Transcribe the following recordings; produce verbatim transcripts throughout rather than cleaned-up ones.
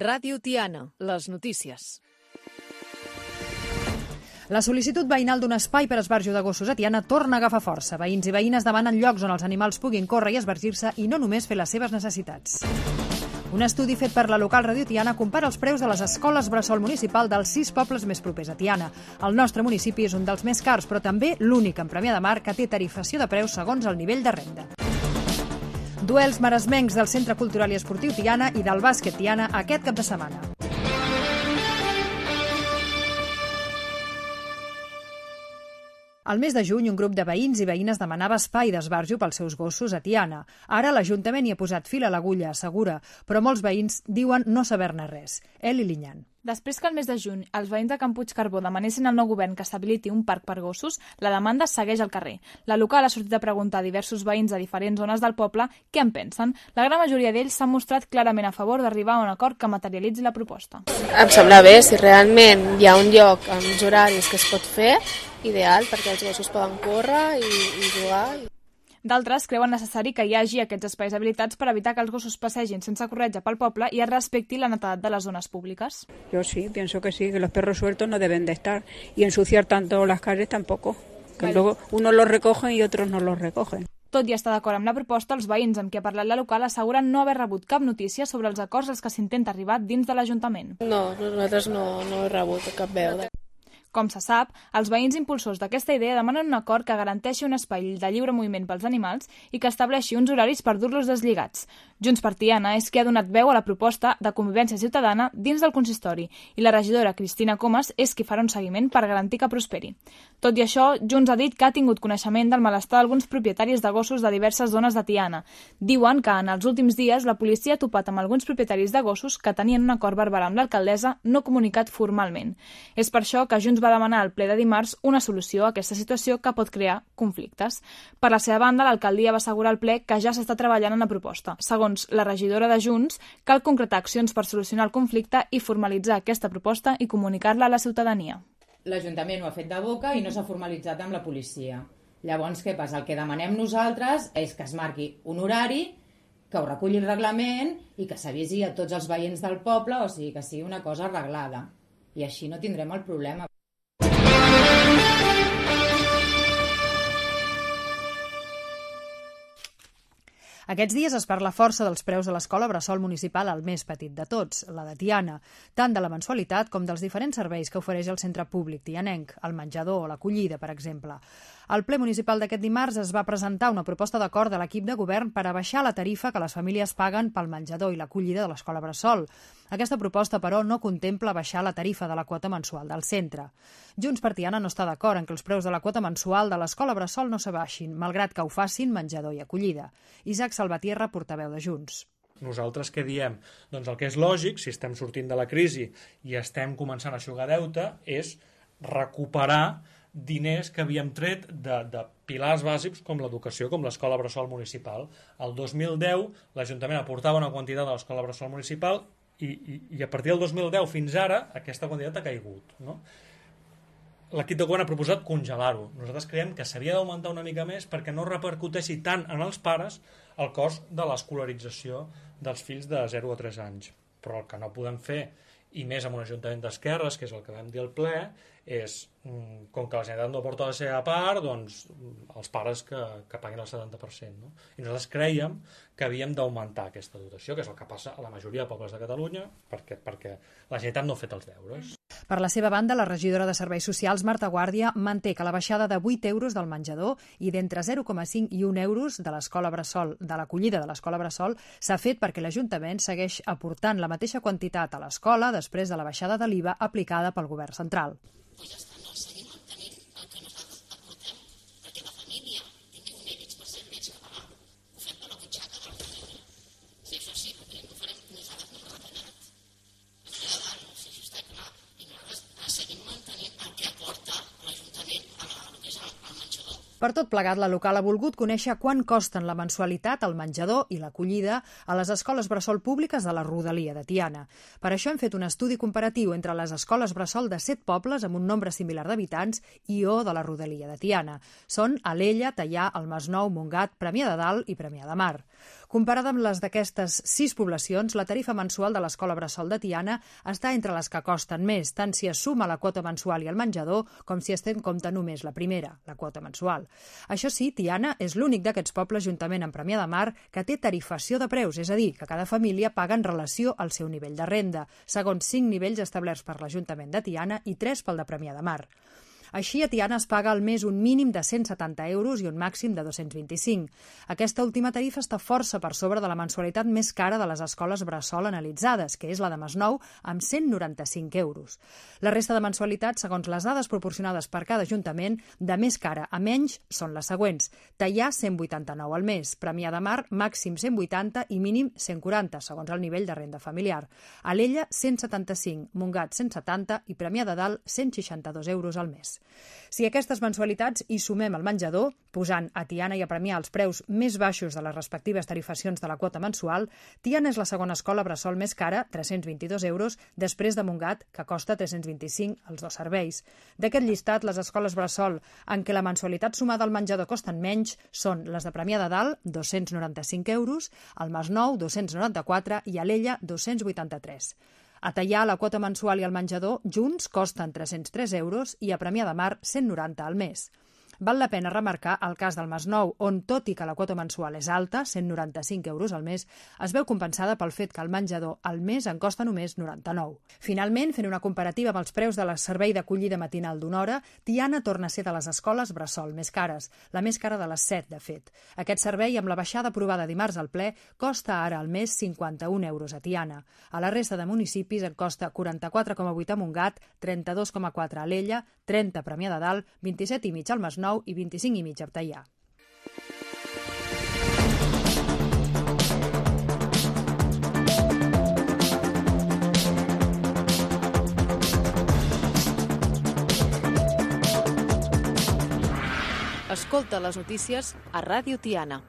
Ràdio Tiana, les notícies. La sol·licitud veïnal d'un espai per esbarjo de gossos a Tiana torna a agafar força. Veïns i veïnes demanen llocs on els animals puguin córrer i esbargir-se i no només fer les seves necessitats. Un estudi fet per la local Ràdio Tiana compara els preus de les escoles bressol municipal dels sis pobles més propers a Tiana. El nostre municipi és un dels més cars, però també l'únic en Premià de Mar que té tarifació de preus segons el nivell de renda. Duels maresmencs del Centre Cultural i Esportiu Tiana i del Bàsquet Tiana aquest cap de setmana. Al mes de juny, un grup de veïns i veïnes demanava espai d'esbarjo pels seus gossos a Tiana. Ara l'Ajuntament hi ha posat fil a l'agulla, assegura, però molts veïns diuen no saber-ne res. Eli Linyan. Després que el mes de juny els veïns de Can Puig Carbó demanessin al nou govern que s'habiliti un parc per gossos, la demanda segueix al carrer. La local ha sortit a preguntar a diversos veïns de diferents zones del poble què en pensen. La gran majoria d'ells s'han mostrat clarament a favor d'arribar a un acord que materialitzi la proposta. Em sembla bé, si realment hi ha un lloc amb uns horaris que es pot fer, ideal, perquè els gossos poden córrer i, i jugar. D'altres creuen necessari que hi hagi aquests espais habilitats per evitar que els gossos passegin sense corretja pel poble i es respecti la netedat de les zones públiques. Yo sí, pienso que sí, que los perros sueltos no deben de estar y ensuciar tanto las calles tampoco, que vale. Luego unos los recogen y otros no los recogen. Tot i estar d'acord amb la proposta, els veïns amb qui ha parlat la local asseguren no haver rebut cap notícia sobre els acords als que s'intenta arribar dins de l'Ajuntament. No, nosaltres no, no he rebut cap veu. Com se sap, els veïns impulsors d'aquesta idea demanen un acord que garanteixi un espai de lliure moviment pels animals i que estableixi uns horaris per dur-los deslligats. Junts per Tiana és qui ha donat veu a la proposta de convivència ciutadana dins del consistori i la regidora Cristina Comas és qui farà un seguiment per garantir que prosperi. Tot i això, Junts ha dit que ha tingut coneixement del malestar d'alguns propietaris de gossos de diverses zones de Tiana. Diuen que en els últims dies la policia ha topat amb alguns propietaris de gossos que tenien un acord verbal amb l'alcaldessa no comunicat formalment. És per això que Junts va demanar al ple de dimarts una solució a aquesta situació que pot crear conflictes. Per la seva banda, l'alcaldia va assegurar al ple que ja s'està treballant en la proposta. Segons la regidora de Junts, cal concretar accions per solucionar el conflicte i formalitzar aquesta proposta i comunicar-la a la ciutadania. L'Ajuntament ho ha fet de boca i no s'ha formalitzat amb la policia. Llavors, què passa? El que demanem nosaltres és que es marqui un horari, que ho reculli el reglament i que s'avisi a tots els veïns del poble, o sigui, que sigui una cosa arreglada. I així no tindrem el problema. Aquests dies es parla força dels preus de l'escola bressol municipal al més petit de tots, la de Tiana, tant de la mensualitat com dels diferents serveis que ofereix el centre públic tianenc, el menjador o l'acollida, per exemple. Al ple municipal d'aquest dimarts es va presentar una proposta d'acord de l'equip de govern per abaixar la tarifa que les famílies paguen pel menjador i l'acollida de l'escola bressol. Aquesta proposta, però, no contempla baixar la tarifa de la quota mensual del centre. Junts per Tiana no està d'acord en que els preus de la quota mensual de l'escola bressol no s'abaixin, malgrat que ho facin menjador i acollida. Isaac Salvatierra, portaveu de Junts. Nosaltres què diem? Doncs el que és lògic, si estem sortint de la crisi i estem començant a eixugar deute, és recuperar diners que havíem tret de, de pilars bàsics com l'educació, com l'escola bressol municipal. El dos mil deu l'Ajuntament aportava una quantitat a l'escola bressol municipal i, i, i a partir del dos mil deu fins ara aquesta quantitat ha caigut, no? L'equip de govern ha proposat congelar-ho. Nosaltres creiem que s'havia d'augmentar una mica més perquè no repercuteixi tant en els pares el cost de l'escolarització dels fills de zero a tres anys. Però el que no podem fer, i més amb un ajuntament d'esquerres, que és el que vam dir al ple, és, com que la Generalitat no aporta la seva part, doncs els pares que, que paguin el setanta per cent. No? I nosaltres creiem que havíem d'augmentar aquesta dotació, que és el que passa a la majoria de pobles de Catalunya, perquè, perquè la Generalitat no ha fet els deures. Per la seva banda, la regidora de Serveis Socials, Marta Guàrdia, manté que la baixada de vuit euros del menjador i d'entre zero coma cinc i un euros de l'escola bressol, de l'acollida de l'escola bressol, s'ha fet perquè l'Ajuntament segueix aportant la mateixa quantitat a l'escola després de la baixada de l'I V A aplicada pel govern central. Pues ja està, no seguim mantenint el que nosaltres aportem perquè la família tingui un ell per cent més que pagar. Ho fem de la butxaca de la família. Si això sí, perquè no farem ni farem ni retallat. Això ja dalt, no sé si està clar. I nosaltres seguim mantenint el que aporta l'Ajuntament a la, el que és el, el menjador. Per tot plegat, la local ha volgut conèixer quan costen la mensualitat, el menjador i l'acollida a les escoles bressol públiques de la rodalia de Tiana. Per això hem fet un estudi comparatiu entre les escoles bressol de set pobles amb un nombre similar d'habitants i o de la rodalia de Tiana. Són Alella, Teià, el Masnou, Montgat, Premià de Dalt i Premià de Mar. Comparada amb les d'aquestes sis poblacions, la tarifa mensual de l'escola bressol de Tiana està entre les que costen més, tant si es suma la quota mensual i el menjador com si es té en compte només la primera, la quota mensual. Això sí, Tiana és l'únic d'aquests pobles, juntament amb Premià de Mar, que té tarifació de preus, és a dir, que cada família paga en relació al seu nivell de renda, segons cinc nivells establerts per l'Ajuntament de Tiana i tres pel de Premià de Mar. Així, a Tiana es paga al mes un mínim de cent setanta euros i un màxim de dos-cents vint-i-cinc. Aquesta última tarifa està força per sobre de la mensualitat més cara de les escoles bressol analitzades, que és la de Masnou, amb cent noranta-cinc euros. La resta de mensualitats, segons les dades proporcionades per cada ajuntament, de més cara a menys són les següents. Teià, cent vuitanta-nou al mes. Premià de Mar, màxim cent vuitanta i mínim cent quaranta, segons el nivell de renda familiar. Alella, cent setanta-cinc, Montgat, cent setanta i Premià de Dalt, cent seixanta-dos euros al mes. Si a aquestes mensualitats hi sumem el menjador, posant a Tiana i a Premià els preus més baixos de les respectives tarifacions de la quota mensual, Tiana és la segona escola bressol més cara, tres-cents vint-i-dos euros, després de Montgat, que costa tres-cents vint-i-cinc els dos serveis. D'aquest llistat, les escoles bressol en què la mensualitat sumada al menjador costen menys són les de Premià de Dalt, dos-cents noranta-cinc euros, el Masnou, dos-cents noranta-quatre i Alella, dos-cents vuitanta-tres. A Teià, la quota mensual i el menjador junts costen tres-cents tres euros i a Premià de Mar cent noranta al mes. Val la pena remarcar el cas del Masnou, on, tot i que la quota mensual és alta, cent noranta-cinc euros al mes, es veu compensada pel fet que el menjador al mes en costa només noranta-nou. Finalment, fent una comparativa amb els preus de la servei d'acollida matinal d'una hora, Tiana torna a ser de les escoles bressol més cares, la més cara de les set, de fet. Aquest servei, amb la baixada aprovada dimarts al ple, costa ara al mes cinquanta-un euros a Tiana. A la resta de municipis en costa quaranta-quatre coma vuit a Montgat, trenta-dos coma quatre a Alella, trenta a Premià de Dalt, vint-i-set i mig al Masnou i vint-i-cinc i mig a Teià. Escolta les notícies a Ràdio Tiana.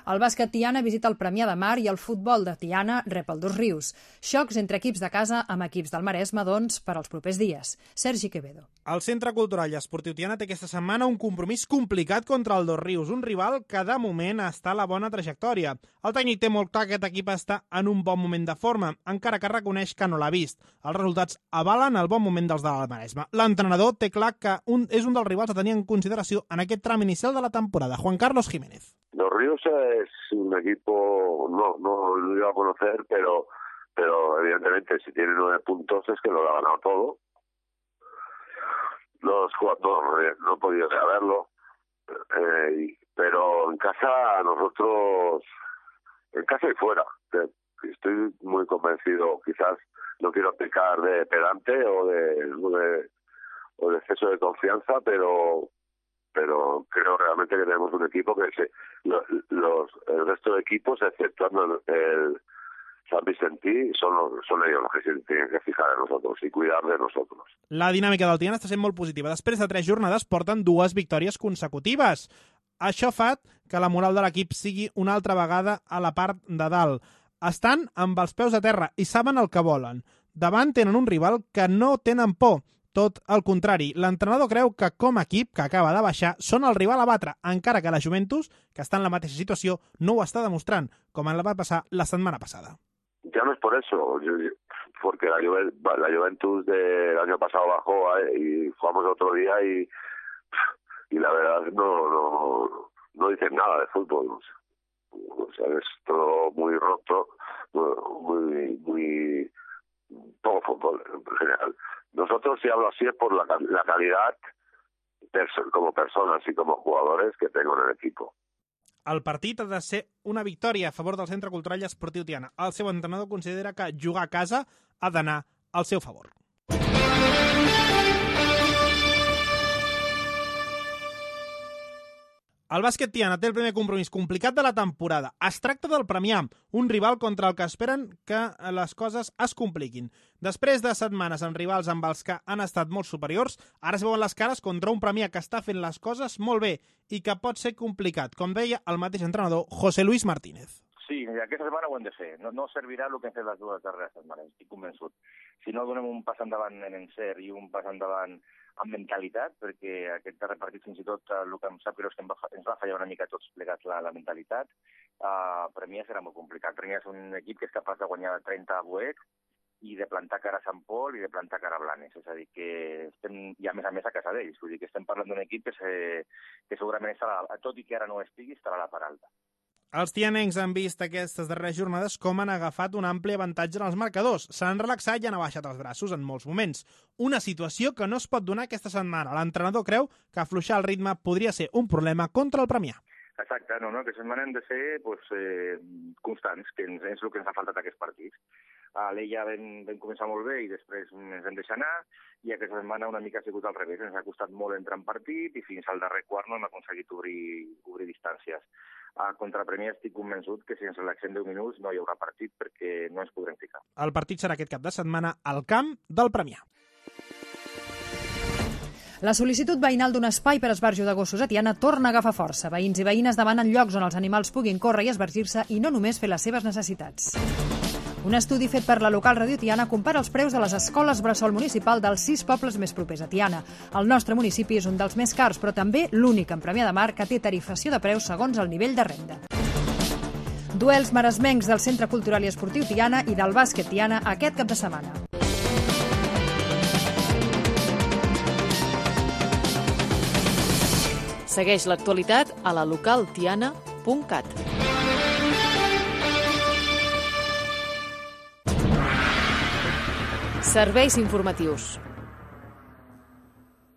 El bàsquet Tiana visita el Premià de Mar i el futbol de Tiana rep el Dosrius. Xocs entre equips de casa amb equips del Maresme, doncs, per als propers dies. Sergi Quevedo. El Centre Cultural i Esportiu Tiana té aquesta setmana un compromís complicat contra el Dosrius, un rival que de moment està a la bona trajectòria. El tècnic té molt clar que aquest equip està en un bon moment de forma, encara que reconeix que no l'ha vist. Els resultats avalen el bon moment dels del Maresme. L'entrenador té clar que un, és un dels rivals a tenir en consideració en aquest tram inicial de la temporada. Juan Carlos Jiménez. Dosrius es un equipo, no, no lo iba a conocer, pero, pero evidentemente si tiene nueve puntos es que lo ha ganado todo. Los jugadores no, no he podido verlo, eh, pero en casa nosotros, en casa y fuera, estoy muy convencido, quizás no quiero pecar de pedante o de, o de, o de exceso de confianza, pero pero creo realmente que tenemos un equipo que se, los, los el resto de equipos, exceptuando el San Vicentí, son, son ellos los que se tienen que fijar en nosotros y cuidar de nosotros. La dinàmica del Tiana està sent molt positiva. Després de tres jornades porten dues victòries consecutives. Això fa que la moral de l'equip sigui una altra vegada a la part de dalt. Estan amb els peus a terra i saben el que volen. Davant tenen un rival que no tenen por. Tot el contrari, l'entrenador creu que com a equip que acaba de baixar són el rival a batre, encara que la Juventus, que està en la mateixa situació, no ho està demostrant, com en la va passar la setmana passada. Ya no es por eso, yo, yo, porque la, Juve, la Juventus del año pasado bajó eh, y jugamos otro día y, y la verdad no, no, no dicen nada de fútbol. O sea, o sea, es todo muy roto, muy, muy poco fútbol en general. Nosotros, si hablo así, es por la, la calidad perso- como personas y como jugadores que tengo en el equipo. El partit ha de ser una victòria a favor del Centre Cultural i Esportiu Tiana. El seu entrenador considera que jugar a casa ha d'anar al seu favor. El bàsquet Tiana té el primer compromís complicat de la temporada. Es tracta del Premià, un rival contra el que esperen que les coses es compliquin. Després de setmanes amb rivals amb els que han estat molt superiors, ara es veuen les cares contra un Premià que està fent les coses molt bé i que pot ser complicat, com deia el mateix entrenador José Luis Martínez. Sí, aquesta setmana ho hem de fer. No, no servirà el que hem fet les dues darreres setmanes, estic convençut. Si no donem un pas endavant en encert i un pas endavant amb mentalitat, perquè aquest darrer partit fins i tot el que em sap greu és que ens va fallar una mica tots plegats la, la mentalitat, uh, Premià serà molt complicat. Premià és un equip que és capaç de guanyar trenta a Boet i de plantar cara a Sant Pol i de plantar cara a Blanes. És a dir, que estem, i a més a més a casa d'ells. Vull dir que estem parlant d'un equip que, se, que segurament estarà, tot i que ara no estigui, estarà a la part alta. Els tianencs han vist aquestes darreres jornades com han agafat un ampli avantatge en els marcadors. S'han relaxat i han abaixat els braços en molts moments. Una situació que no es pot donar aquesta setmana. L'entrenador creu que afluixar el ritme podria ser un problema contra el Premià. Exacte, no, no, que setmana hem de ser pues, eh, constants, que ens, és el que ens ha faltat aquests partits. A l'Ella vam, vam començar molt bé i després ens hem deixat anar, i aquesta setmana una mica ha sigut al revés. Ens ha costat molt entrar en partit i fins al darrer quart no hem aconseguit obrir, obrir distàncies. A contra Premià estic convençut que si ens relaxem deu minuts no hi haurà partit perquè no ens podrem ficar. El partit serà aquest cap de setmana al camp del Premià. La sol·licitud veïnal d'un espai per esbarjo de gossos a Tiana torna a agafar força. Veïns i veïnes demanen llocs on els animals puguin córrer i esbargir-se i no només fer les seves necessitats. Un estudi fet per la local Ràdio Tiana compara els preus de les escoles bressol municipal dels sis pobles més propers a Tiana. El nostre municipi és un dels més cars, però també l'únic en Premià de Mar que té tarifació de preus segons el nivell de renda. Duels maresmencs del Centre Cultural i Esportiu Tiana i del bàsquet Tiana aquest cap de setmana. Segueix l'actualitat a la local tiana punt cat. Serveis informatius.